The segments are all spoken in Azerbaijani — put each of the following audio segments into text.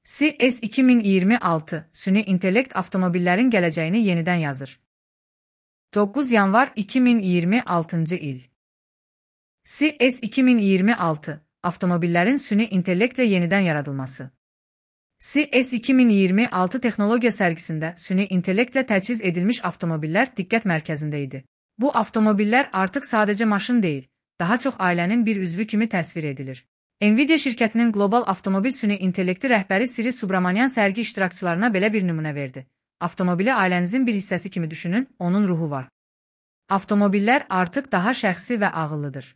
CES 2026 süni intellekt avtomobillerin geleceğini yeniden yazır. 9 yanvar 2026 il. CES 2026 avtomobillerin süni intellektle yeniden yaradılması. CES 2026 teknolojiya sergisinde süni intellektle təchiz edilmiş avtomobiller dikkat merkezindeydi. Bu avtomobiller artık sadece maşın değil, daha çok ailenin bir üzvü kimi təsvir edilir. Nvidia şirkətinin Global Avtomobil Süni İntellekti rəhbəri Siri Subramanian sərgi iştirakçılarına belə bir nümunə verdi. Avtomobili ailənizin bir hissəsi kimi düşünün, onun ruhu var. Avtomobiller artık daha şəxsi və ağıllıdır.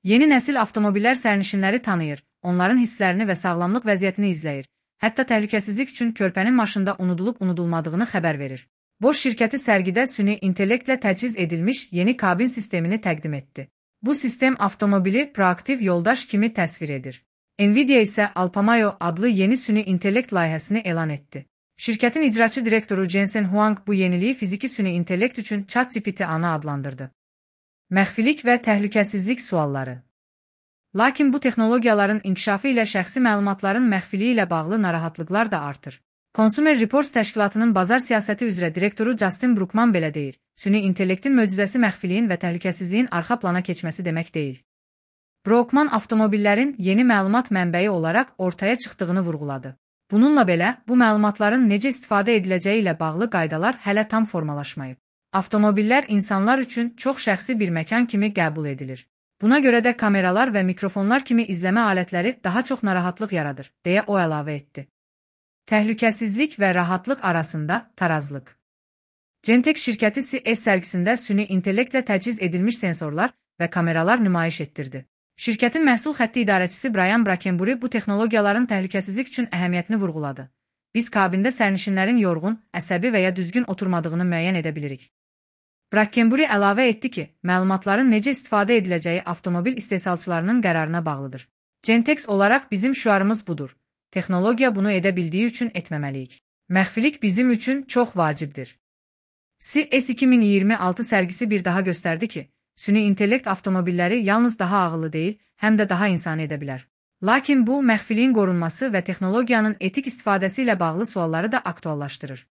Yeni nəsil avtomobiller sərnişinləri tanıyır, onların hisslərini və sağlamlıq vəziyyətini izləyir. Hətta təhlükəsizlik üçün körpənin maşında unudulub-unudulmadığını xəbər verir. Bosch şirkəti sərgidə süni intellektlə təchiz edilmiş yeni kabin sistemini təqdim etdi. Bu sistem avtomobili proaktiv yoldaş kimi təsvir edir. Nvidia isə Alpamayo adlı yeni süni intellekt layihəsini elan etdi. Şirkətin icraçı direktoru Jensen Huang bu yeniliyi fiziki süni intellekt üçün ChatGPT ana adlandırdı. Məxfilik və təhlükəsizlik sualları. Lakin bu texnologiyaların inkişafı ilə şəxsi məlumatların məxfiliyi ilə bağlı narahatlıqlar da artır. Consumer Reports təşkilatının bazar siyasəti üzrə direktoru Justin Brookman belə deyir. Süni intellektin möcüzəsi məxfiliyin və təhlükəsizliyin arxa plana keçməsi demək deyil. Brookman avtomobillerin yeni məlumat mənbəyi olaraq ortaya çıxdığını vurğuladı. Bununla belə, bu məlumatların necə istifadə ediləcəyi ilə bağlı qaydalar hələ tam formalaşmayıb. Avtomobiller insanlar üçün çox şəxsi bir məkan kimi qəbul edilir. Buna görə də kameralar və mikrofonlar kimi izləmə alətləri daha çox narahatlıq yaradır, deyə o əlavə etdi. Təhlükəsizlik və rahatlıq arasında tarazlıq. Gentex şirkəti CES sərgisində süni intellektlə təchiz edilmiş sensorlar və kameralar nümayiş etdirdi. Şirkətin məhsul xətti idarəçisi Brian Brackenbury bu texnologiyaların təhlükəsizlik üçün əhəmiyyətini vurğuladı. Biz kabində sərnişinlərin yorğun, əsəbi və ya düzgün oturmadığını müəyyən edə bilirik. Brackenbury əlavə etdi ki, məlumatların necə istifadə ediləcəyi avtomobil istehsalçılarının qərarına bağlıdır. Gentex olaraq bizim şüarımız budur. Texnologiya bunu edə bildiyi üçün etməməliyik. Məxfilik bizim üçün çox vacibdir. CES 2026 sərgisi bir daha göstərdi ki, süni intellekt avtomobilləri yalnız daha ağıllı deyil, həm də daha insani edə bilər. Lakin bu, məxfiliyin qorunması və texnologiyanın etik istifadəsi ilə bağlı sualları da aktuallaşdırır.